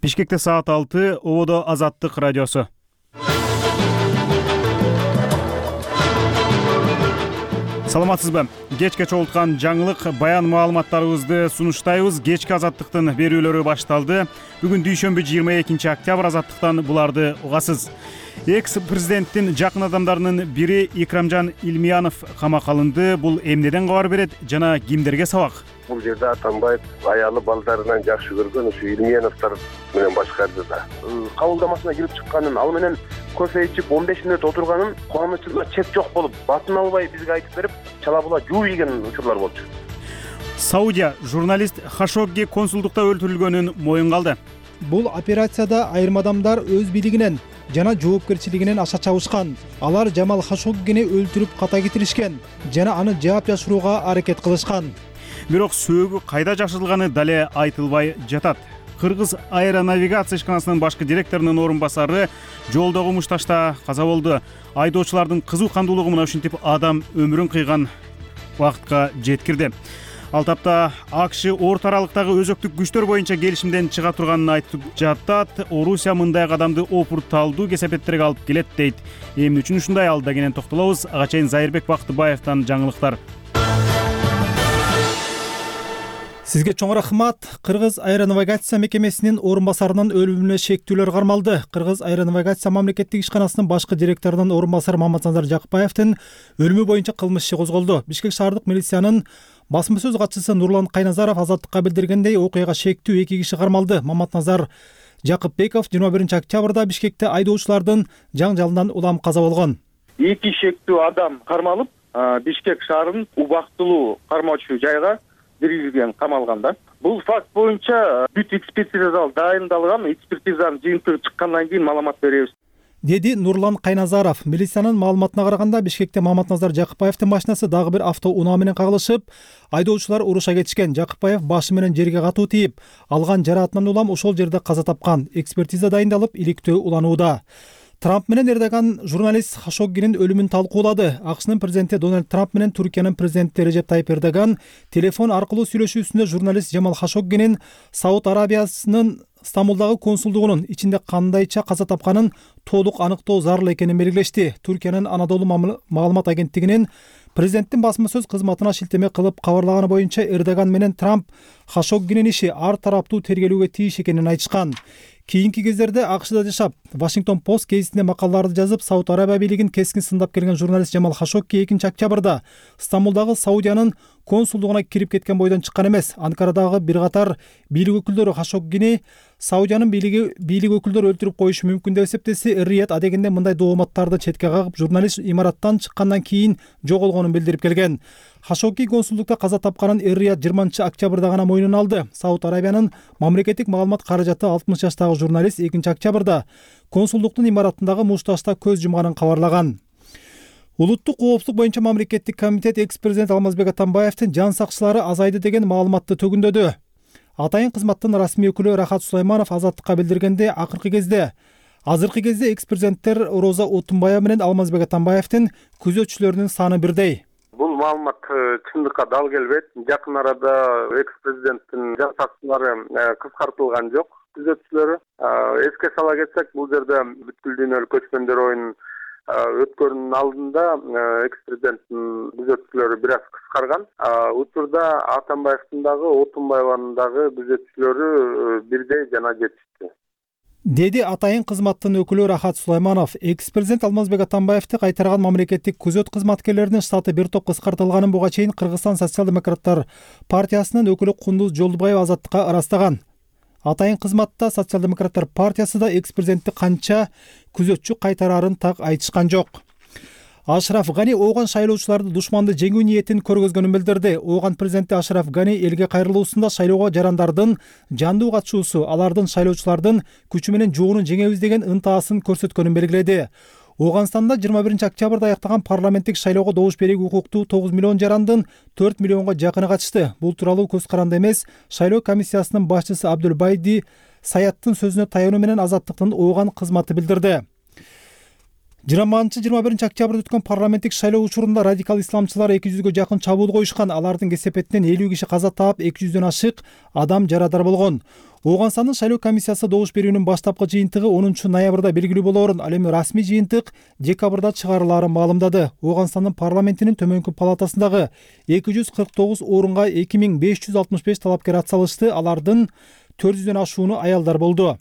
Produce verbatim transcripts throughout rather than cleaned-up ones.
Бишкекте саат алты, Ободо Азаттык радиосу. Саламатсызбы? Кечке чогулткан жаңылык баян маалыматтарыбызды сунуштайбыз. Кечки Азаттыктын берүүлөрү башталды. Бүгүн дүйшөмбү жыйырма экинчи октябрь. Азаттыктан буларды угасыз. Экс-президенттин жакын адамдарынын бири Икрамжан Илмиянов камакка алынды. Бул эмнеден кабар берет жана кимдерге сабак? Бул жерде Атамбаев аялы балдарынан жакшы көргөн ушу Илмияновдор менен башкарды да. Кабылдамасына кирип чыкканын, ал менен кофе ичип он беш мүнөт отурганын кубанычында чек жок болуп, батын албай бизге айтып берип, чала-була жууп ийген учурлар болчу. Саудия журналист Хашогги консулдукта өлтүрүлгөнүн моюнга алды. Бул операцияда айрым адамдар өз бийлигинен жана жоопкерчилигинен аша чабышкан. Алар Жамал Хашоггини өлтүрүп ката кетиришкен жана аны жаап жашырууга аракет кылышкан. Бирок сөөгү кайда жашырылганы дале айтылбай жатат. Кыргыз аэронавигация ишканасынын башкы директорунун орун басары жолдогу мушташта каза болду. Айдоочулардын кызуу кандуулугу мына ушинтип адам өмүрүн кыйган убакытка жеткирди. Ал тапта АКШ орто аралыктагы өзөктүк күчтөр боюнча келишимден чыга турганын айтып жатат. Орусия мындай кадамды опурталдуу кесепеттерге алып келет дейт. Эмне үчүн ушундай, алда кенен токтолобуз. Ага чейин Зайырбек Бактыбаевден жаңылыктар. Сизге чоң рахмат. Кыргыз аэронавигация мекемесинин орун басарынын өлүмүнө шектүүлөр кармалды. Кыргыз аэронавигация мамлекеттик ишканасынын башкы директорунун орун басары Маматназар Жакыпбаевдин өлүмү боюнча кылмыш иши козголду. Бишкек шаардык милициянын басма сөз катчысы Нурлан Кайназаров Азаттыкка билдиргендей, окуяга шектүү эки киши кармалды. Маматназар Жакыпбеков жыйырма биринчи октябрда Бишкекте айдоочулардын жаңжалынан улам каза болгон. Эки шектүү адам кармалып, Бишкек шаарынын убактылуу кармоочу жайга биргизилген, камалган да. Бул факт боюнча бүт экспертиза дайындалган, экспертизанын жыйынтыгы чыккандан кийин маалымат беребиз, деди Нурлан Кайназаров. Милициянын маалыматына караганда, Бишкекте Маматназар Жакыпбаевдин машинасы дагы бир автоунаа менен кагылышып, айдоочулар уруша кетишкен. Жакыпбаев башы менен жерге катуу тийип, алган жараатынан улам ошол жерде каза тапкан. Экспертиза дайындалып, иликтөө уланууда. Трамп менен Эрдоган журналист Хашоггинин өлүмүн талкуулады. АКШнын президенти Дональд Трамп менен Түркиянын президенти Режеп Тайип Эрдоган телефон аркылуу сүйлөшүүсүндө журналист Жамал Хашоггинин Сауд Арабиясынын Стамбулдагы консулдугунун ичинде кандайча каза тапканын толук аныктоо зарыл экенин белгилешти. Түркиянын Анадолу маалымат агенттигинин президенттин басма сөз кызматына шилтеме кылып кабарлаганы боюнча, Эрдоган менен Трамп Хашоггинин иши ар тараптуу тергелүүгө тийиш экенин айтышкан. Кийинки кездерде АКШда жашап, Washington Post гезитине макалаларды жазып, Сауд Арабия бийлигин кескин сындап келген журналист Жамал Хашогги экинчи октябрда Стамбулдагы Саудиянын консулдугуна кирип кеткен бойдон чыккан эмес. Анкарадагы бир катар бийлик өкүлдөрү Хашоггини Саудиянын бийлиги бийлик өкүлдөрү өлтүрүп коюшу мүмкүн деп эсептесе, Эр-Рияд адегенде мындай дооматтарды четке кагып, журналист имараттан чыккандан кийин жоголгонун билдирип келген. Хашогги консулдукта каза тапканын Эр-Рияд жыйырманчы октябрда гана мойнуна алды. Сауд Арабиянын мамлекеттик маалымат каражаты алтымыш жаштагы журналист экинчи октябрда консулдуктун имараттындагы мушташта көз жумганын кабарлаган. Улуттук коопсуздук боюнча мамлекеттик комитет экс-президент Алмазбек Атамбаевдин жан сакчылары азайды деген маалыматты төгүндөдү. Атайын кызматтын расмий өкүлү Рахат Сулайманов Азаттыкка билдиргенде, акыркы кезде азыркы кезде экс-президенттер Роза Отунбаева менен Алмазбек Атамбаевдин күзөтчүлөрүнүн саны бирдей. Бул маалымат чындыкка дал келбейт. Жакын арада экс-президенттин жан сакчылары кыскартылган жок, күзөтчүлөрү. Эске сала кетсек, бул жерде бүткүл дүйнөлүк көчкөндөр оюнун өткөрүүнүн алдында экс-президенттин күзөтчүлөрү бир аз кыскарган. Учурда Атамбаевдин дагы, Отунбаеванын дагы күзөтчүлөрү бирдей жана жетишти, деди атайын кызматтын өкүлү Рахат Сулайманов. Экс-президент Алмазбек Атамбаевди кайтарган мамлекеттик күзөт кызматкерлеринин штаты бир топ кыскартылганын буга чейин Кыргызстан социал-демократтар партиясынын өкүлү Кундуз Жолдубаева Азаттыкка ырастаган. Атайын кызматта социал-демократтар партиясы да экс-президентти канча күзөтчү кайтарарын так айтышкан жок. Ашраф Гани ооган шайлоочуларды душманды жеңүү ниетин көргөзгөнүн билдирди. Ооган президенти Ашраф Гани элге кайрылуусунда шайлоого жарандардын жандуу катышуусу, алардын шайлоочулардын күчү менен жоону жеңебиз деген ынтаасын көрсөткөнүн белгиледи. Ооганстанда жыйырма биринчи октябрда аяктаган парламенттик шайлоого добуш берүүгө укуктуу тогуз миллион жарандын төрт миллионго жакыны катышты. Бул тууралуу көз каранды эмес шайлоо комиссиясынын башчысы Абдулбайди Саяттын сөзүнө таянуу менен Азаттыктын ооган кызматы билдирди. жыйырманчы жыйырма биринчи октябрда өткөн парламенттик шайлоо учурунда радикал исламчылар эки жүзгө жакын чабуул коюшкан. Алардын кесепетинен элүү киши каза таап, эки жүздөн ашык адам жарадар болгон. Ооганстандын шайлоо комиссиясы добуш берүүнүн баштапкы жыйынтыгы онунчу ноябрда белгилүү болоорун, ал эми расмий жыйынтык декабрда чыгарылаарын маалымдады. Ооганстандын парламентинин төмөнкү палатасындагы эки жүз кырк тогуз орунга эки миң беш жүз алтымыш беш талапкер ат салышты. Алардын төрт жүздөн ашууну аялдар болду.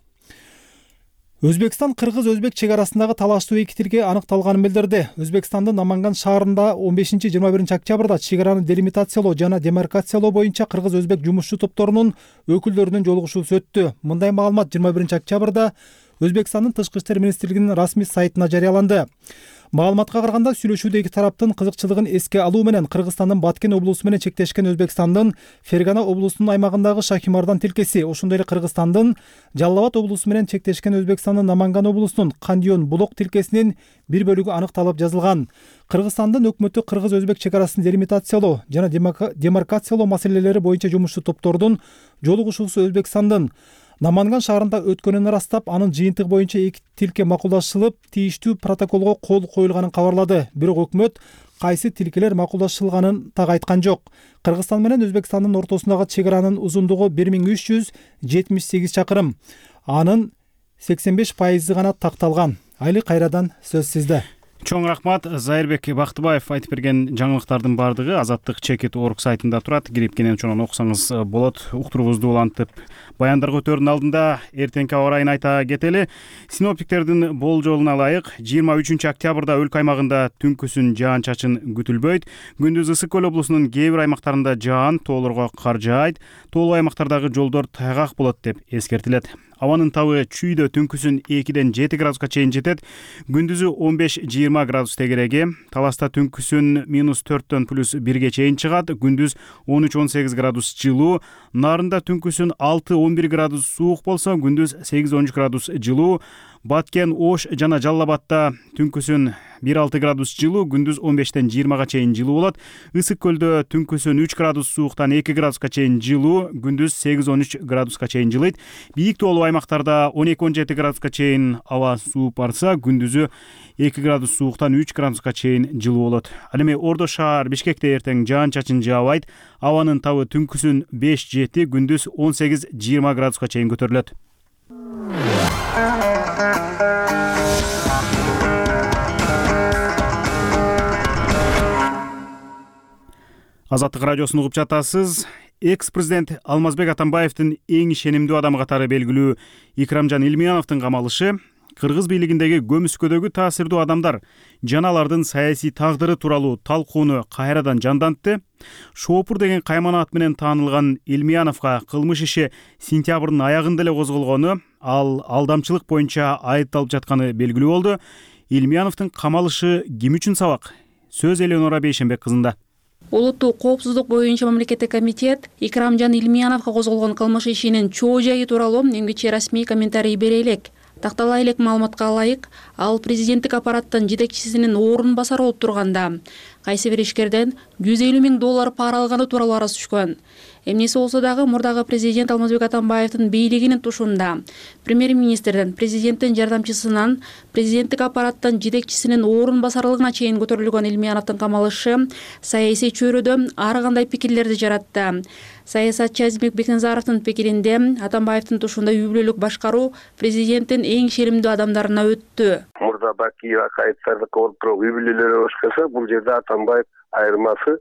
Өзбекстан кыргыз-өзбек чек арасындагы талаштуу эки тилге аныкталганын билдирди. Өзбекстандын Наманган шаарында он бешинчи жыйырма биринчи октябрда чек араны делимитациялоо жана демаркациялоо боюнча кыргыз-өзбек жумушчу топторунун өкүлдөрүнүн жолугушуусу өттү. Мындай маалымат жыйырма биринчи октябрда Өзбекстандын Тышкы иштер министрлигинин расмий сайтына жарыяланды. Маалыматка караганда, сүйлөшүүдө эки тараптын кызыкчылыгын эске алуу менен Кыргызстандын Баткен облусу менен чектешкен Өзбекстандын Фергана облусунун аймагындагы Шахимардан тилкеси, ошондой эле Кыргызстандын Жалал Абад облусу менен чектешкен Өзбекстандын Наманган облусунун Кандион Булок тилкесинин бир бөлүгү аныкталып жазылган. Кыргызстандын өкмөтү кыргыз-өзбек чек арасын делимитациялоо жана демаркациялоо маселелери боюнча жумушчу топтордун жолугушуусу Өзбекстандын Наманган шаарында өткөнүн ырастап, анын жыйынтыгы боюнча эки тилке макулдашылып, тийиштүү протоколго кол коюлганын кабарлады. Бирок өкмөт кайсы тилкелер макулдашылганын так айткан жок. Кыргызстан менен Өзбекстандын ортосундагы чек аранын узундугу бир миң үч жүз жетимиш сегиз чакырым. Анын сексен беш пайызы гана такталган. Айли кайрадан сөз сизде. Чоң рахмат. Зайырбек Бактыбаев айтып берген жаңылыктардын баардыгы Азаттык чекит орг сайтында турат. Кирип кенен чонон окусаңыз болот. Уктуруубузду улантып баяндарга өтөрдүн алдында эртеңки аба ырайын айта кетели. Синоптиктердин болжолуна ылайык, жыйырма үчүнчү октябрда өлкө аймагында түнкүсүн жаан-чачын күтүлбөйт. Күндүз Ысык көл облусунун кээ бир аймактарында жаан, тоолорго кар жаайт. Тоолуу аймактардагы жолдор тайгак болот деп эскертилет. Абанын табы чүйдө түнкүсүн экиден жети градуска чейин жетет. Күндүзү он беш жыйырма градус тегереги. Таласта түнкүсүн минус төрттөн плюс бирге чейин чыгат. Күндүз он үч он сегиз градус жылуу. Нарында түнкүсүн алты он бир градус суук болсо, күндүз сегиз он үч градус жылуу. Баткен, Ош жана Жалал Абадта түнкүсүн бир алты градус жылуу, күндүз он бештен жыйырмага чейин жылуу болот. Ысык көлдө түнкүсүн үч градус сууктан эки градуска чейин жылуу, күндүз сегиз он үч градуска чейин жылыйт. Бийик тоолуу аймактарда он эки он жети градуска чейин аба сууп барса, күндүзү эки градус сууктан үч градуска чейин жылуу болот. Ал эми Ордо шаар Бишкекте эртең жаан-чачын жаабайт. Абанын табы түнкүсүн беш жети, күндүз он сегиз жыйырма градуска чейин көтөрүлөт. Азаттык радиосун угуп жатасыз. Экс-президент Алмазбек Атамбаевдин эң ишенимдүү адамы катары белгилүү Икрамжан Илмияновдун камалышы кыргыз бийлигиндеги көмүскөдөгү таасирдүү адамдар жана алардын саясий тагдыры тууралуу талкууну кайрадан жандантты. Шоопур деген каймана ат менен таанылган Илмияновго кылмыш иши сентябрдын аягында эле козголгону, ал алдамчылык боюнча айыпталып жатканы белгилүү болду. Илмияновдун камалышы ким үчүн сабак? Сөз Элеонора Бейшенбек кызында. Улуттуу коопсуздук боюнча мамлекеттик комитет Икрамжан Илмияновго козголгон кылмыш ишинин чоо жайы тууралуу эмгиче расмий комментарий бере элек. Тактала элек маалыматка ылайык, ал президенттик аппараттын жетекчисинин орун басары болуп турганда кайсы бир ишкерден жүз элүү миң доллар пара алганы тууралуу арыз түшкөн. Эмнеси болсо дагы мурдагы президент Алмазбек Атамбаевдин бийлигинин тушунда премьер-министрден, президенттин жардамчысынан, президенттик аппараттын жетекчисинин орун басарлыгына чейин көтөрүлгөн Илмияновдун камалышы саясий чөйрөдө ар кандай пикирлерди жаратты. Саясатчы Азимбек Бекназаровдун пикиринде Атамбаевдин тушунда үй бүлөлүк башкаруу президенттин эң ишенимдүү адамдарына өттү. Мурда Бакиева кайыттардыкы болуп туруп үй бүлөлөрү башкарса, бул жерде Атамбаев айырмасы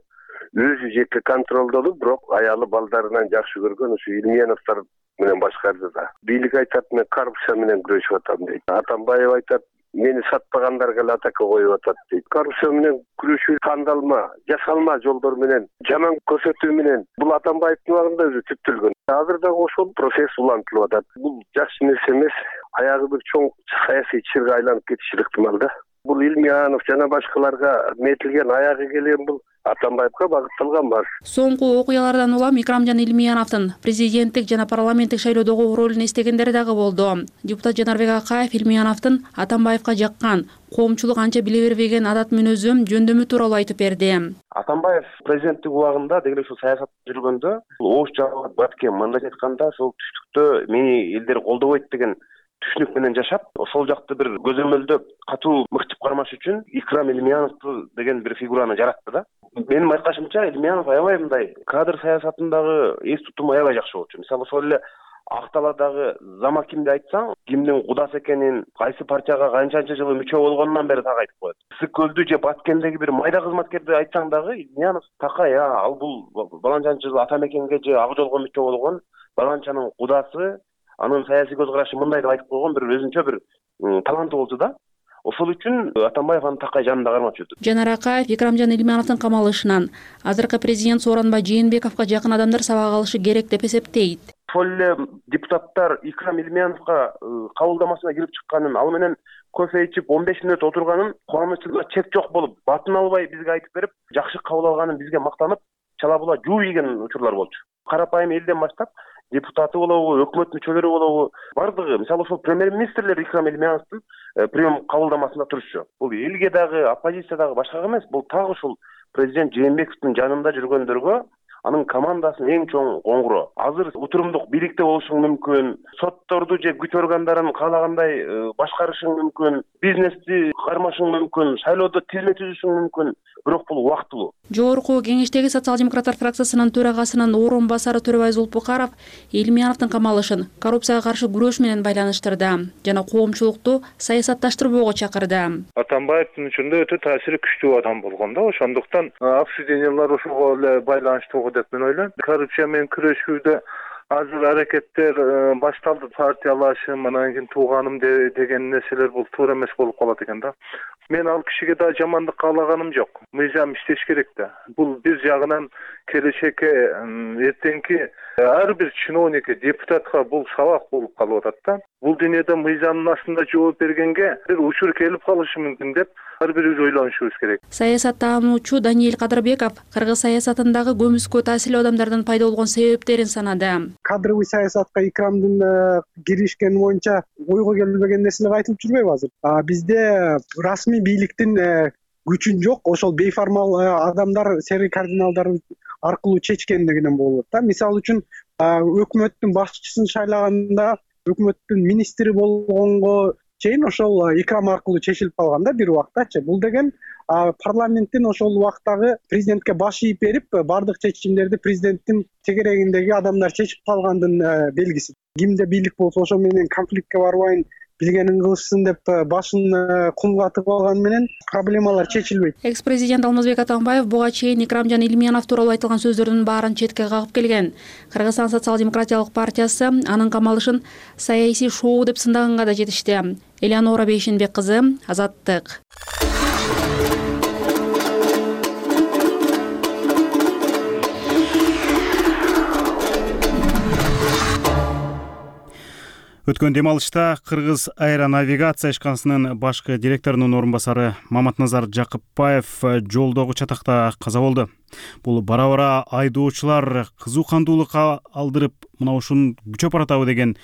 өзү жеке контролдолуп, бирок аялы балдарынан жакшы көргөн ушу Илмияновдор менен башкарды да. Бийлик айтат, мен коррупция менен күрөшүп атам дейт. Атамбаев айтат, мени сатпагандарга эле атака коюп атат дейт. Коррупция менен күрөшүү кандалма, жасалма жолдор менен, жаман көрсөтүү менен бул Атамбаевдин убагында өзү түптөлгөн. Азыр дагы ошол процесс улантылып атат. Бул жакшы нерсе эмес. Аягы бир чоң саясий чырга айланып кетиши ыктымал да. Бул Илмиянов жана башкаларга метилген аягы келген бул Атамбаевга багытталган бар. Соңку окуялардан улам Икрамжан Илмияновдун президенттик жана парламенттик шайлоодогу ролун эстегендери дагы болду. Депутат Жанарбек Акаев Илмияновдун Атамбаевга жаккан коомчулук анча биле бербеген адат мүнөзү жөндөмү тууралуу айтып берди. Атамбаев президенттик убагында деги ушул саясат жүргөндө, Ош Жалал Баткен мындай айтканда, сол түштүктө мени элдер колдобойт деген түшүнүк менен жашап, ошол жакты бир көзөмөлдөп катуу мыкчып кармаш үчүн Икрам Илмияновду деген бир фигураны жаратты да. Менин байкашымча Илмиянов аябай мындай кадр саясатындагы эс тутуму аябай жакшы болчу. Мисалы ошол эле Ак талаадагы зама кимди айтсаң, кимдин кудасы экенин, кайсы партияга канчанчы жылы мүчө болгонунан бери так айтып коет. Ысык көлдү же Баткендеги бир майда кызматкерди айтсаң дагы Илмиянов такай, ал бул баланчанчы жылы ата мекенге же Ак жолго мүчө болгон баланчанын кудасы, анын саясий көз карашы мындай деп айтып койгон бир өзүнчө бир таланты болчу да. Ошол үчүн Атамбаев аны такай жанында кармап жүрдү. Жанар Акаев Икрамжан Илмияновдун камалышынан азыркы президент Сооронбай Жээнбековго жакын адамдар сабак алышы керек деп эсептейт. Ошол эле депутаттар Икрам Илмияновго кабылдамасына кирип чыкканын, ал менен кофе ичип он беш мүнөт отурганын кубанычына чек жок болуп, батын албай бизге айтып берип, жакшы кабыл алганын бизге мактанып, чала була жууп ийген учурлар болчу. Карапайым элден баштап депутаты болобу, өкмөт мүчөлөрү болобу, бардыгы, мисалы ошол премьер-министрлер Икрам Илмияновдун прием кабылдамасында турушчу. Бул элге дагы, оппозициядагы башкага эмес, бул так ушул президент Жээнбековдун жанында жүргөндөргө, анын командасынын эң чоң коңгуроо. Азыр утурумдук бийликте болушуң мүмкүн, сотторду же күч органдарын каалагандай башкарышың мүмкүн, бизнести кармашың мүмкүн, шайлоодо тизме түзүшүң мүмкүн, бирок бул убактылуу. Жогорку кеңештеги социал-демократтар фракциясынын төрагасынын орун басары Төрөбай Зулпукаров Илмияновдун камалышын коррупцияга каршы күрөш менен байланыштырды жана коомчулукту саясатташтырбоого чакырды. Атамбаевдин ичинде өтө таасири күчтүү адам болгон да, ошондуктан обсуждениялар ошого эле байланыштуу деп мен ойлойм. Коррупция менен күрөшүүдө азыр аракеттер башталды, партиялашым, анан кийин тууганым деген нерселер бул туура эмес болуп калат экен да. Мен ал кишиге да жамандык каалаганым жок. Мыйзам иштеш керек да. Бул бир жагынан келечекке эртеңки ар бир чиновникке, депутатка бул сабак болуп калып атат да. Бул дүйнөдө мыйзамдын астында жооп бергенге бир учур келип калышы мүмкүн деп ар бирибиз ойлонушубуз керек. Саясаттануучу Даниэль Кадырбеков кыргыз саясатындагы көмүскө таасирлүү адамдардын пайда болгон себептерин санады. Кадровый саясатка Икрамдын киришкени боюнча ойго келбеген нерселер айтылып жүрбөйбү азыр? Бизде расмий бийликтин күчүн жок, ошол бейформал адамдар, серый кардиналдар аркылуу чечкендигинен болот да. Мисалы үчүн өкмөттүн башчысын шайлаганда, өкмөттүн министри болгонго чейин ошол Икрам аркылуу чечилип калган да бир убактачы. Бул деген парламенттин ошол убактагы президентке баш ийип берип, бардык чечимдерди президенттин тегерегиндеги адамдар чечип калгандын белгиси. Кимде бийлик болсо ошо менен конфликтке барбайын, билгенин кылышсын деп башын кумгатып алган менен проблемалар чечилбейт. Экс-президент Алмазбек Атамбаев буга чейин Икрамжан Илмиянов тууралуу айтылган сөздөрдүн баарын четке кагып келген. Кыргызстан социал-демократиялык партиясы анын камалышын саясий шоу деп сындаганга да жетишти. Элеонора Бейшенбек кызы, Азаттык. Өткөн дем алышта Кыргыз аэронавигация ишканасынын башкы директорунун орун басары Маматназар Жакыпбаев жолдогу чатакта каза болду. Бул бара-бара айдоочулар кызуу кандуулук алдырып, мына ушун күчөп баратабы деген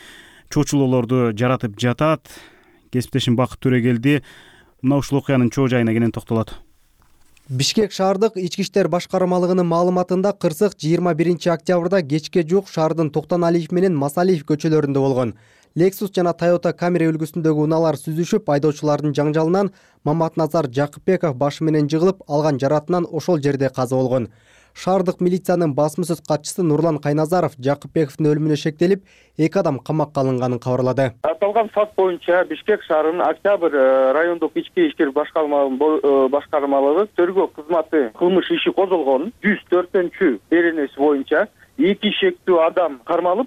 чочулоолорду жаратып жатат. Кесиптешим Бакыт Төрөгелди мына ушул окуянын чоо жайына кенен токтолот. Бишкек шаардык ички иштер башкармалыгынын маалыматында кырсык жыйырма биринчи октябрда кечке жуук шаардын Токтоналиев менен Масалиев көчөлөрүндө болгон. Lexus жана Toyota Camry үлгүсүндөгү унаалар сүзүшүп, айдоочулардын жаңжалынан Маматназар Жакыпбеков башы менен жыгылып, алган жаратынан ошол жерде каза болгон. Шаардык милициянын басмасөз катчысы Нурлан Кайназаров Жакыпбековдун өлүмүнө шектелип, эки адам камакка алынганын кабарлады. Аталган факт боюнча Бишкек шаарынын Октябрь райондук ички иштер башкармалыгы тергөө кызматы кылмыш иши козголгон. жүз төртүнчү беренеси боюнча эки шектүү адам кармалып,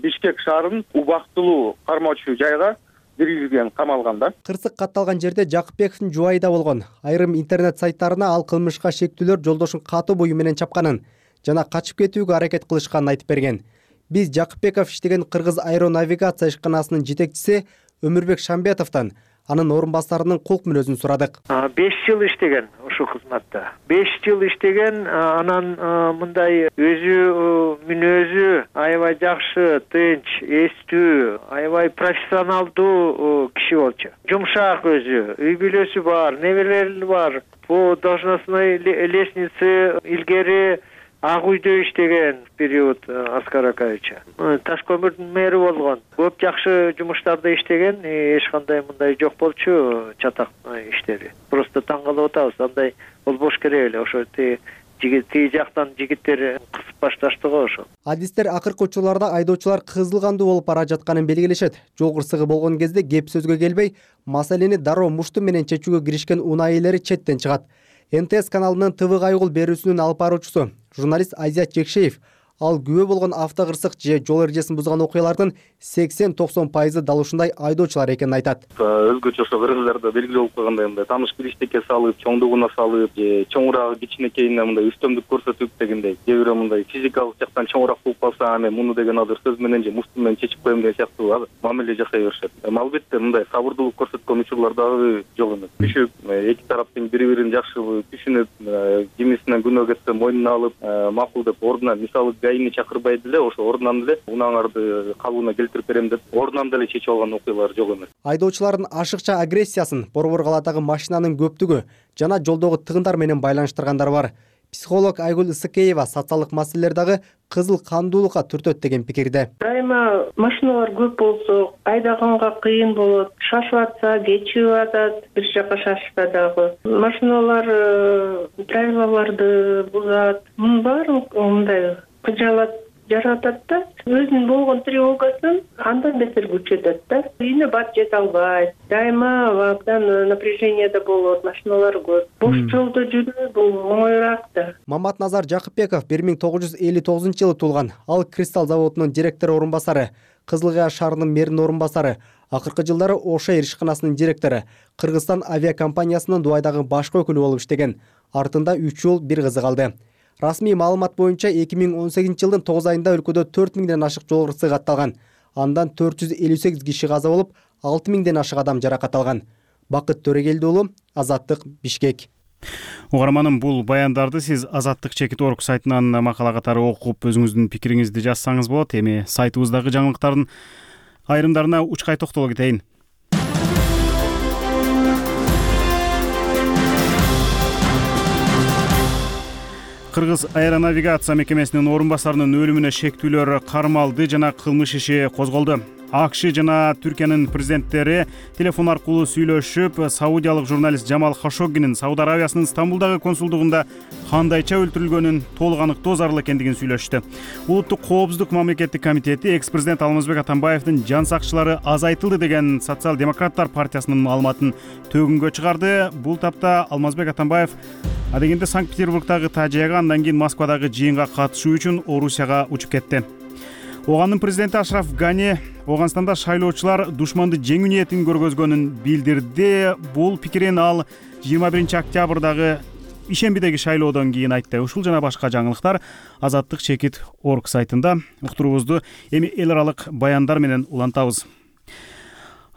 Бишкек шаарынын убактылуу кармоочу жайга киргизилген, камалганда. Кырсык катталган жерде Жакыпбековдун жубайы да болгон. Айрым интернет сайттарына ал кылмышка шектүүлөр жолдошун катуу бою менен чапканын жана качып кетүүгө аракет кылышканын айтып берген. Биз Жакыпбеков иштеген Кыргыз аэронавигация ишканасынын жетекчиси Өмүрбек Шамбетовдон анын орун басарынын кулк мүнөзүн сурадык. беш жыл иштеген ушул кызматта. беш жыл иштеген, анан мындай өзү мүнөзү аябай жакшы, тынч, эстүү, аябай профессионалдуу киши болчу. Жумшак өзү, үй бүлөсү бар, неберелери бар. По должностной лестнице илгери Ак үйдө иштеген период Аскар Акаевича. Таш көмүрдүн мэри болгон. Көп жакшы жумуштарда иштеген, эч кандай мындай жок болчу чатак иштери. Просто таң калып атабыз. Андай болбош керек эле. Ошо тиги тиги жактан жигиттер кысып башташты го ошо. Адистер акыркы учурларда айдоочулар кызыл кандуу болуп бара жатканын белгилешет. Жол кырсыгы болгон кезде кеп сөзгө келбей, маселени дароо мушту менен чечүүгө киришкен унаа ээлери четтен чыгат. эн тэ эс каналынын тэ вэ кайгул берүүсүнүн алып баруучусу журналист Айзат Жекшеев ал күбө болгон автокырсык же жол эрежесин бузган окуялардын сексен токсон пайызы дал ушундай айдоочулар экенин айтат. Өзгөчө ошо кыргыздарда белгилүү болуп калгандай мындай тааныш бириштекке салып, чоңдугуна салып, же чоңураагы кичинекейине мындай үстөмдүк көрсөтүп дегендей. Же бирөө мындай физикалык жактан чоңураак болуп калса, аны муну деген азыр сөз менен же мушту менен чечип коем деген сыяктуу мамиле жасай беришет. Албетте мындай сабырдуулук көрсөткөн учурлар дагы жок эмес. Түшүп, эки тараптын бири-бирин жакшы түшүнүп, кимисинен күнөө кетсе мойнуна алып, макул деп ордунан мисалы гаини чакырбай деле ошо ордунан эле унааңарды калыбына келтирип берем деп ордунан деле чечип алган окуялар жок эмес. Айдоочулардын ашыкча агрессиясын Борбор калаадагы машинанын көптүгү жана жолдогу тыгындар менен байланыштыргандар бар. Психолог Айгүл Ысыкеева социалдык маселелер дагы кызыл кандуулукка түртөт деген пикирде. Дайыма машиналар көп болсо, айдаганга кыйын болот. Шашып атса, кечип атат, бир жака шашса дагы. Машиналар правилаларды бузат. Мунун баары мындай кыжалат жаратат да, өзүнүн болгон тревогасын андан бетер күчөтөт да. Үйүнө бат жете албайт. Дайыма абдан напряжениеде болот, машиналар көп. Бош жолдо жүрүү бул оңоюраак да. Маматназар Жакыпбеков бир миң тогуз жүз элүү тогузунчу жылы туулган. Ал Кристалл заводунун директор орун басары, Кызыл Кыя шаарынын мэринин орун басары, акыркы жылдары Ош Эйр ишканасынын директору, Кыргызстан авиакомпаниясынын Дубайдагы башкы өкүлү болуп иштеген. Артында үч уул, бир кызы калды. Расмий маалымат боюнча эки миң он сегизинчи жылдын тогуз айында өлкөдө төрт миңден ашык жол кырсыгы катталган. Андан төрт жүз элүү сегиз киши каза болуп, алты миңден ашык адам жаракат алган. Бакыт Төрөгелди уулу, Азаттык, Бишкек. Угарманым, бул баяндарды сиз Азаттык чекит орг сайтынан макала катары окуп, өзүңүздүн пикириңизди жазсаңыз болот. Эми сайтыбыздагы жаңылыктардын айрымдарына учкай токтоло кетейин. Кыргыз аэронавигация мекемесинин орун басарынын өлүмүнө шектүүлөр кармалды жана кылмыш иши козголду. АКШ жана Түркиянын президенттери телефон аркылуу сүйлөшүп, саудиялык журналист Жамал Хашоггинин Сауд Арабиясынын Стамбулдагы консулдугунда кандайча өлтүрүлгөнүн толук аныктоо зарыл экендигин сүйлөштү. Улуттук коопсуздук мамлекеттик комитети экс-президент Алмазбек Атамбаевдин жан сакчылары азайтылды деген Социал-демократтар партиясынын маалыматын төгүнгө чыгарды. Бул тапта Алмазбек Атамбаев адегенде Санкт-Петербургдагы тажыяга, андан кийин Москвадагы жыйынга катышуу үчүн Орусияга учуп кетти. Огандын президенти Ашраф Гани Оганстанда шайлоочулар душманды жеңүү ниетин көргөзгөнүн билдирди. Бул пикирин ал жыйырма биринчи октябрдагы ишембидеги шайлоодон кийин айтты. Ушул жана башка жаңылыктар Азаттык чекит орг сайтында. Уктуруубузду эми эл аралык баяндар менен улантабыз.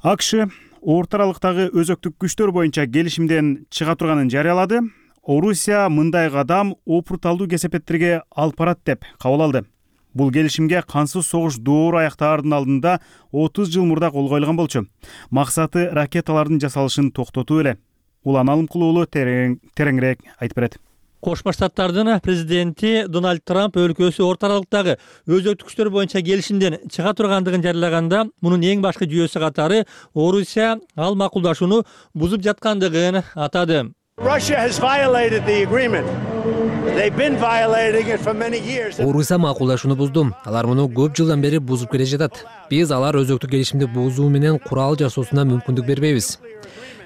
АКШ орто аралыктагы өзөктүк күчтөр боюнча келишимден чыга турганын жарыялады. Орусия мындай кадам опурталдуу кесепеттерге алып барат деп кабыл алды. Бул келишимге кансыз согуш доор аяктаардын алдында отуз жыл мурда кол коюлган болчу. Максаты ракеталардын жасалышын токтотуу эле. Улан Алымкул уулу тереңирээк айтып берет. Кошмо Штаттардын президенти Дональд Трамп өлкөсү орто аралыктагы өзөктүк күчтөр боюнча келишимден чыга тургандыгын жарыялаганда, мунун эң башкы жүйөсү катары Орусия ал макулдашууну бузуп жаткандыгын атады. Орусия макулдашууну бузду. Алар муну көп жылдан бери бузуп келе жатат. Биз алар өзөктүк келишимди бузуу менен курал жасоосуна мүмкүндүк бербейбиз.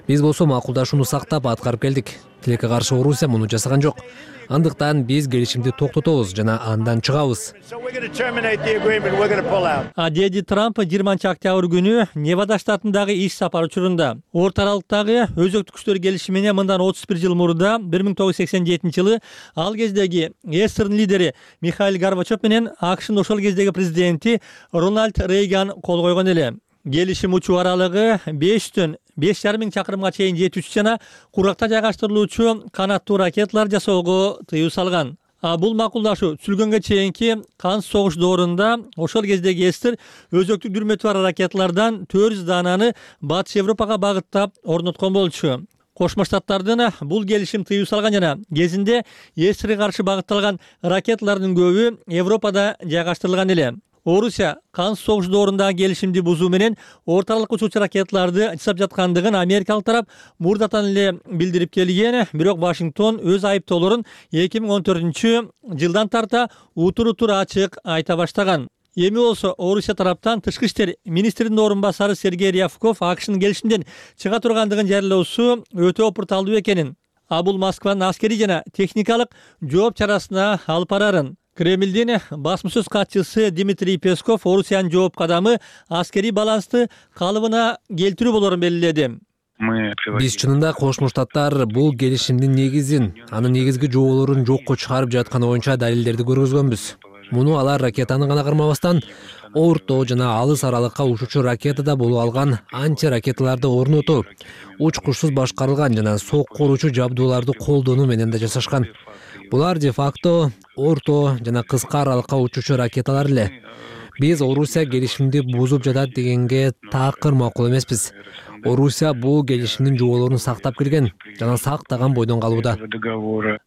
Биз болсо макулдашууну сактап аткарып келдик. Тилекке каршы Орусия муну жасаган жок. Андыктан биз келишимди токтотобуз жана андан чыгабыз. Деди Трамп жыйырманчы октябрь күнү Невада штатындагы иш сапар учурунда орто аралыктагы өзөктүк күчтөр келишимине мындан отуз бир жыл мурда бир миң тогуз жүз сексен жетинчи жылы ал кездеги эсердин лидери Михаил Горбачев менен АКШнын ошол кездеги президенти Рональд Рейган кол койгон эле. Келишим учуу аралыгы бештен беш жарым миң чакырымга чейин жетүүчү жана куракта жайгаштырылуучу канаттуу ракеталар жасоого тыюу салган. А бул макулдашуу түзүлгөнгө чейинки кансыз согуш доорунда ошол кездеги эстер өзөктүк дүрмөтү бар ракеталардан төрт жүз даананы Батыш Европага багыттап орноткон болчу. Кошмо Штаттардын бул келишим тыюу салган жана кезинде эсирге каршы багытталган ракеталардын көбү Европада жайгаштырылган эле. Орусия Кан согуш доорундагы келишимди бузуу менен орталык учуучу ракеталарды жасап жаткандыгын америкалык тарап мурдатан эле билдирип келген, бирок Вашингтон өз айыптоолорун эки миң он төртүнчү жылдан тарта утур-утур ачык айта баштаган. Эми болсо Орусия тараптан тышкы иштер министринин орун басары Сергей Рябков АКШнын келишимден чыга тургандыгын жарыялоосу өтө опурталдуу экенин, а бул Москванын аскерий жана техникалык жооп чарасына алып барарын. Кремлдин басма сөз катчысы Дмитрий Песков Орусиянын жооп кадамы аскерий балансты калыбына келтирүү болорун белгиледи. Биз чынында Кошмо Штаттар бул келишимдин негизин, анын негизги жоболорун жокко чыгарып жатканы боюнча далилдерди көргөзгөнбүз. Муну алар ракетаны гана кармабастан, орто жана алыс аралыкка учуучу ракетада болуп алган антиракеталарды орнотуу, учкучсуз башкарылган жана соккуруучу жабдууларды колдонуу менен да жасашкан. Булар де-факто орто жана кыска аралыкка учуучу ракеталар эле. Биз Орусия келишимди бузуп жатат дегенге такыр макул эмеспиз. Орусия бул келишимдин жоболорун сактап келген жана сактаган бойдон калууда.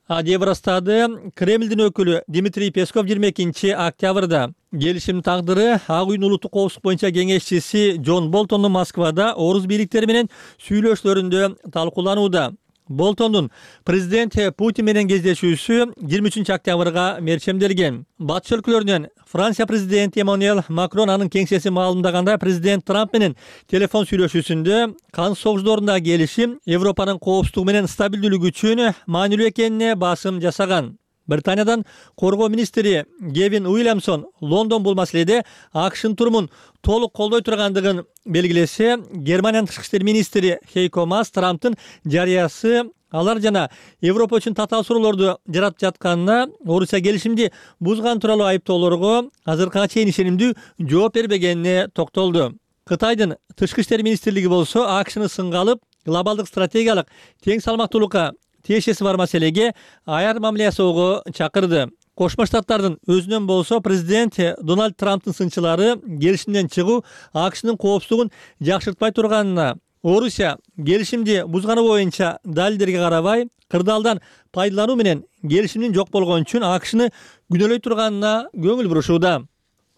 А деп ырастады Кремлдин өкүлү Дмитрий Песков жыйырма экинчи октябрда. Келишимдин тагдыры Ак үйдүн улуттук коопсуздук боюнча кеңешчиси Джон Болтондун Москвада орус бийликтери менен сүйлөшүүлөрүндө талкууланууда. Болтондун президент Путин менен кездешүүсү жыйырма үчүнчү октябрга мерчемделген. Батыш өлкөлөрүнөн Франция президенти Эммануэль Макрон анын кеңсеси маалымдагандай, президент Трамп менен телефон сүйлөшүүсүндө Кан согуш доорундагы келишим Европанын коопсуздугу менен стабилдүүлүгү үчүн маанилүү экенине басым жасаган. Британиядан коргоо министри Гевин Уильямсон Лондон бул маселеде АКШнын турумун толук колдой тургандыгын белгилесе, Германиянын тышкы иштер министри Хейко Маас Трамптын жарыясы алар жана Европа үчүн татаал суроолорду жаратып жатканына, Орусия келишимди бузган тууралуу айыптоолорго азыркыга чейин ишенимдүү жооп бербегенине токтолду. Кытайдын тышкы иштер министрлиги болсо АКШны сынга алып, глобалдык стратегиялык тең салмактуулукка тиешеси бар маселеге аяр мамиле жасоого чакырды. Кошмо Штаттардын өзүнөн болсо президент Дональд Трамптын сынчылары келишимден чыгуу АКШнын коопсуздугун жакшыртпай турганына, Орусия келишимди бузганы боюнча далилдерге карабай, кырдаалдан пайдалануу менен келишимдин жок болгон үчүн АКШны күнөөлөй турганына көңүл бурушууда.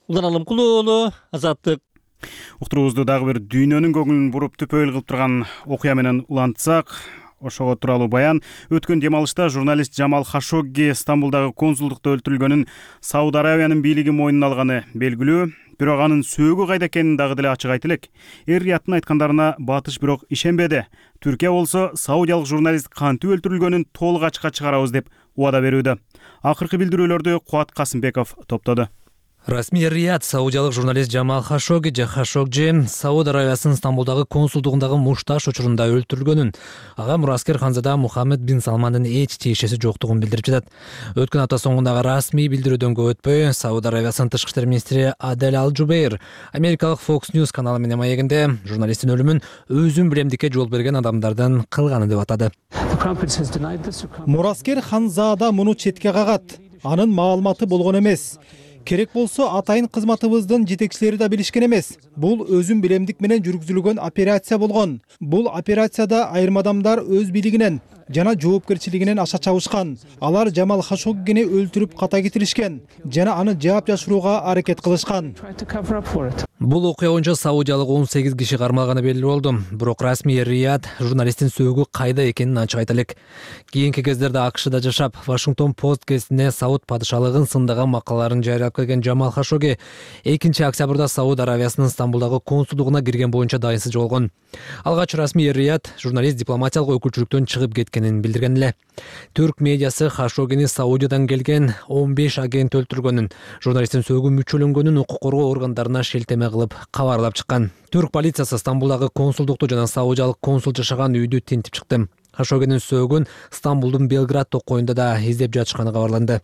Улан Алымкулуу уулу, Азаттык. Уктуруубузду дагы бир дүйнөнүн көңүлүн буруп түпөйүл кылып турган окуя менен улантсак, ошого тууралуу баян. Өткөн дем алышта журналист Жамал Хашогги Стамбулдагы консулдукта өлтүрүлгөнүн Сауд Арабиянын бийлиги мойнуна алганы белгилүү, бирок анын сөөгү кайда экенин дагы деле ачык айтып элек. Эр-Рияттын айткандарына Батыш бирок ишенбеди. Түркия болсо саудиялык журналист кантип өлтүрүлгөнүн толук ачыкка чыгарабыз деп убада берүүдө. Акыркы билдирүүлөрдү Куат Касымбеков топтоду. Расмий Эр-Рияд саудиялык журналист Жамал Хашогги же Хашогжи Сауд Арабиясынын Стамбулдагы консулдугундагы мушташ учурунда өлтүрүлгөнүн, ага мураскер ханзада Мухаммед бин Салмандын эч тиешеси жоктугун билдирип жатат. Өткөн апта соңундагы расмий билдирүүдөн көп өтпөй, Сауд Арабиясынын тышкы иштер министри Адель Ал-Джубейр америкалык Fox News каналы менен маегинде журналисттин өлүмүн өзүн билемдикке жол берген адамдардын кылганы деп атады. Мураскер ханзада муну четке кагат. Анын маалыматы болгон эмес. Керек болсо атайын кызматыбыздын жетекчилери да билишкен эмес. Бул өзүн билемдик менен жүргүзүлгөн операция болгон. Бул операцияда айрым адамдар өз бийлигинен жана жоопкерчилигинен аша чабышкан. Алар Жамал Хашоггини өлтүрүп ката кетиришкен жана аны жаап жашырууга аракет кылышкан. Бул окуя боюнча саудиялык он сегиз киши кармалганы белгилүү болду. Бирок расмий Эр-Рияд журналисттин сөөгү кайда экенин ачык айта элек. Кийинки кездерде АКШда жашап, Вашингтон Пост гезитине Сауд падышалыгын сындаган макалаларын жарыялап келген Жамал Хашогги экинчи октябрда Сауд Арабиясынын Стамбулдагы консулдугуна кирген боюнча дайынсыз болгон. Алгач расмий Эр-Рияд журналист дипломатиялык өкүлчүлүктөн чыгып кеткенин билдирген эле. Түрк медиасы Хашоггини Саудиядан келген он беш агент өлтүргөнүн, журналисттин сөөгү мүчөлөнгөнүн укук коргоо органдарына шелтеме кылып кабарлап чыккан. Түрк полициясы Стамбулдагы консулдукту жана саудиялык консул жашаган үйдү тинтип чыкты. Хашоггинин сөөгүн Стамбулдун Белград токойунда да издеп жатышканы кабарланды.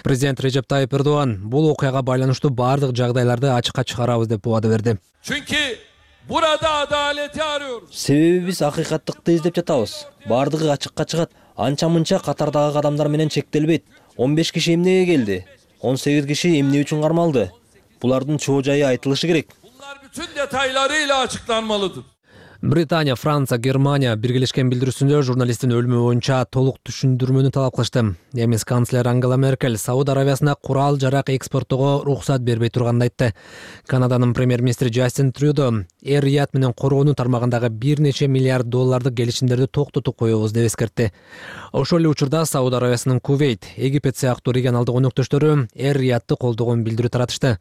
Президент Режеп Тайып Эрдоган бул окуяга байланыштуу бардык жагдайларды ачыкка чыгарабыз деп убада берди. Себеби биз акыйкаттыкты издеп жатабыз. Бардыгы ачыкка чыгат. Анча-мынча катардагы адамдар менен чектелбейт. он беш киши эмнеге келди? он сегиз киши эмне үчүн кармалды? Булардын чоо жайы айтылышы керек. Bunlar bütün detaylarıyla açıklanmalıdır. Британия, Франция, Германия биргелешкен билдирүүсүндө журналисттин өлүмү боюнча толук түшүндүрмөнү талап кылышты. Немис канцлер Ангела Меркель Сауд Аравиясына курал жарак экспорттоого уруксат бербей турганын айтты. Канаданын премьер-министри Джастин Трюдо эр-Рият менен короонуу тармагындагы бир нече миллиард доллардык келишимдерди токтотуп коебуз деп эскертти. Ошол эле учурда Сауд Аравиясынын Кувейт, Египет сыяктуу регионалдык өнөктөштөрү эр-Риятты колдогон билдирүү таратышты.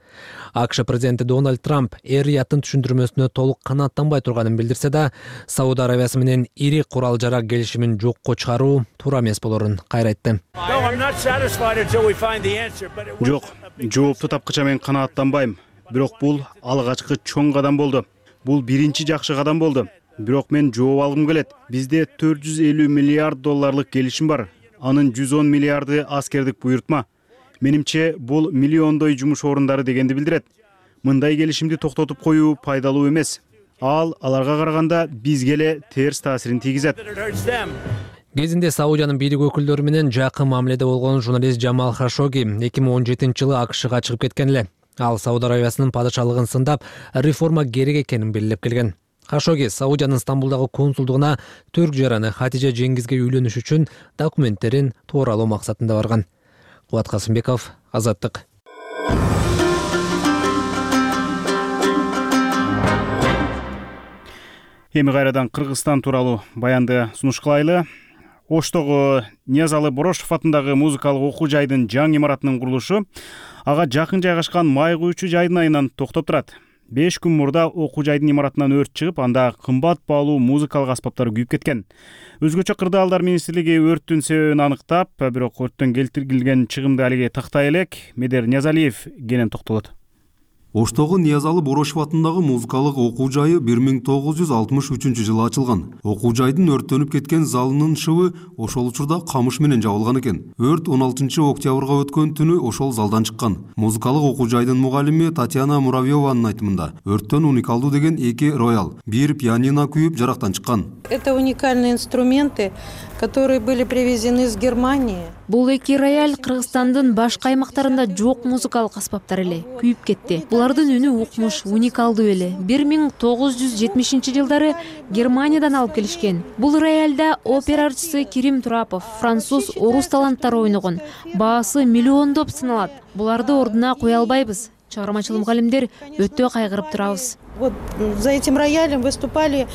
АКШ президенти Дональд Трамп эр-Рияттын түшүндүрмөсүнө толук канааттанбай турганын билдирсе да, Сауд Аравиясы менен ири курал жарак келишимин жокко чыгаруу туура эмес болорун кайра айтты. Жок, жоопту тапкыча мен канааттанбайм. Бирок бул алгачкы чоң кадам болду. Бул биринчи жакшы кадам болду. Бирок мен жооп алгым келет. Бизде төрт жүз элүү миллиард долларлык келишим бар. Анын жүз он миллиарды аскердик буйртма. Менимче бул миллиондой жумуш орундары дегенди билдирет. Мындай келишимди токтотуп коюу пайдалуу эмес. Ал аларга караганда бизге эле терс таасирин тийгизет. Кезинде Саудиянын бийлик өкүлдөрү менен жакын мамиледе болгон журналист Джамал Хашоги эки миң он жетинчи жылы АКШга чыгып кеткен эле. Ал Сауд Аравиясынын падышалыгын сындап, реформа керек экенин белгилеп келген. Хашоги Саудиянын Стамбулдагы консулдугуна түрк жараны Хатижа Жеңгизге үйлөнүш үчүн документтерин тууралоо максатында барган. Кубат Касымбеков, Азаттык. Эми кайрадан Кыргызстан тууралуу баянды сунуш кылайлы. Оштогу Ниязалы Борошов атындагы музыкалык окуу жайдын жаңы имаратынын курулушу ага жакын жайгашкан май куючу жайдын айынан токтоп турат. беш күн мурда окуу жайдын имаратынан өрт чыгып, анда кымбат баалуу музыкалык аспаптар күйүп кеткен. Өзгөчө Кырдаалдар министрлиги өрттүн себебин аныктап, бирок өрттөн келтирилген чыгымды алиге тактай элек. Медер Ниязалиев кенен токтолот. Оштогу Ниязалы Борошов атындагы музыкалык окуу жайы бир миң тогуз жүз алтымыш үчүнчү жылы ачылган. Окуу жайдын өрттөнүп кеткен залынын шыбы ошол учурда камыш менен жабылган экен. Өрт он алтынчы октябрга өткөн түнү ошол залдан чыккан. Музыкалык окуу жайдын мугалими Татьяна Муравьеванын айтымында, өрттөн уникалдуу деген эки роял, бир пианино күйүп жарактан чыккан. Это уникальные инструменты, которые были привезены из Германии. Бул эки рояль Кыргызстандын башка аймактарында жок музыкалык аспаптар эле, күйүп кетти. Булардын үнү укмуш, уникалдуу эле. бир миң тогуз жүз жетимишинчи жылдары Германиядан алып келишкен. Бул рояльда опера артисти Кирим Турапов, француз, орус таланттары ойногон. Баасы миллиондоп саналат. Буларды ордуна кое албайбыз. Чыгармачыл мугалимдер өтө кайгырып турабыз. Вот за этим роялем выступали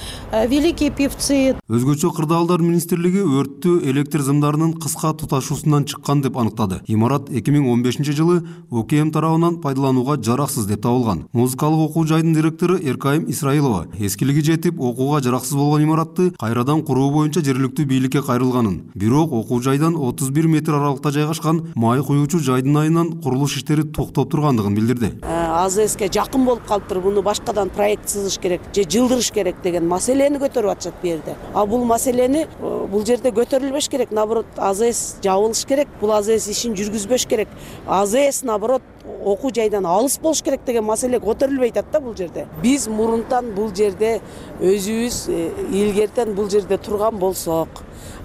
великие певцы. Өзгөчө Кырдаалдар министрлиги өрттү электр зымдарынын кыска туташуусунан чыккан деп аныктады. Имарат эки миң он бешинчи жылы ОКМ тарабынан пайдаланууга жараксыз деп табылган. Музыкалык окуу жайдын директору Эркайым Исраилова эскилиги жетип, окууга жараксыз болгон имаратты кайрадан куруу боюнча жергиликтүү бийликке кайрылганын, бирок окуу жайдан отуз бир метр аралыкта жайгашкан май куюучу жайдын айынан курулуш иштери токтоп тургандыгын билдирди. АЗСке жакын болуп калыптыр, буну башкадан проект сызыш керек же жылдырыш керек деген маселени көтөрүп атышат бу жерде. А бул маселени бул жерде көтөрүлбөш керек, наоборот АЗС жабылыш керек, бул АЗС ишин жүргүзбөш керек. АЗС наоборот окуу жайдан алыс болуш керек деген маселе көтөрүлбөй атат да бул жерде. Биз мурунтан бул жерде өзүбүз илгертен бул жерде турган болсок,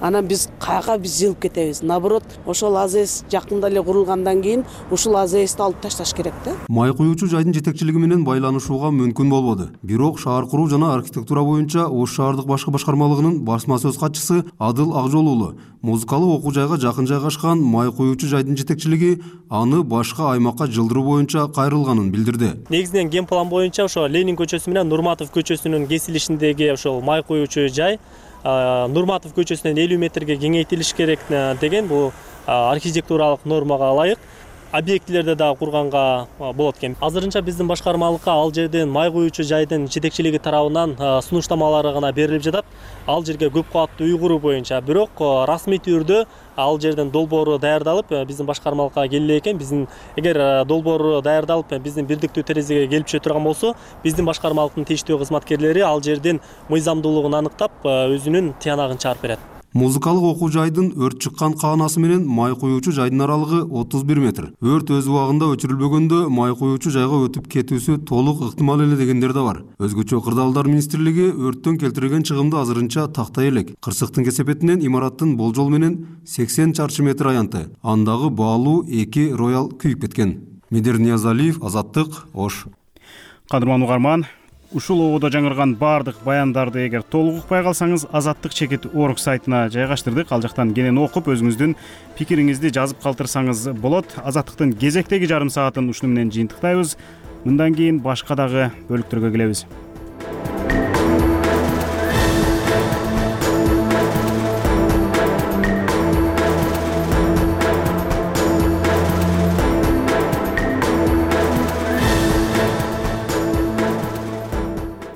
анан биз каяка биз жылып кетебиз. Наоборот, ошол АЗС жакында эле курулгандан кийин ушул АЗСти алып ташташ керек да. Май куюучу жайдын жетекчилиги менен байланышууга мүмкүн болбоду. Бирок шаар куруу жана архитектура боюнча Ош шаардык башкы башкармалыгынын басма сөз катчысы Адыл Акжол уулу музыкалык окуу жайга жакын жайгашкан май куюучу жайдын жетекчилиги аны башка аймакка жылдыруу боюнча кайрылганын билдирди. Негизинен ген план боюнча ошо Ленин көчөсү менен Нурматов көчөсүнүн кесилишиндеги ошол май куюучу жай Нурматов көчөсүнөн элүү метрге кеңейтилиш керек деген бул архитектуралык нормага ылайык. Объектилерде да курганга болот экен. Азырынча биздин башкармалыкка ал жерден май куюучу жайдын жетекчилиги тарабынан сунуштамалары гана берилип жатат. Ал жерге көп кабаттуу үй куруу боюнча, бирок расмий түрдө ал жерден долбоору даярдалып биздин башкармалыкка келе экен. Биздин эгер долбоору даярдалып биздин бирдиктүү терезеге келип түшө турган болсо, биздин башкармалыктын тийиштүү кызматкерлери ал жердин мыйзамдуулугун аныктап өзүнүн тыянагын чыгарып берет. Музыкалык окуу жайдын өрт чыккан каанасы менен май куюучу жайдын аралыгы отуз бир метр. Өрт өз убагында өчүрүлбөгөндө май куюучу жайга өтүп кетүүсү толук ыктымал эле дегендер да бар. Өзгөчө Кырдаалдар министрлиги өрттөн келтирилген чыгымды азырынча тактай элек. Кырсыктын кесепетинен имараттын болжол менен сексен чарчы метр аянты. Андагы баалуу эки роял күйүп кеткен. Медер Ниязалиев, Азаттык, Ош. Кадырман угарман, ушул ободо жаңырган баардык баяндарды эгер толук укпай калсаңыз азаттык чекит орг сайтына жайгаштырдык. Ал жактан кенен окуп өзүңүздүн пикириңизди жазып калтырсаңыз болот. Азаттыктын кезектеги жарым саатын ушуну менен жыйынтыктайбыз. Мындан кийин башка дагы бөлүктөргө келебиз.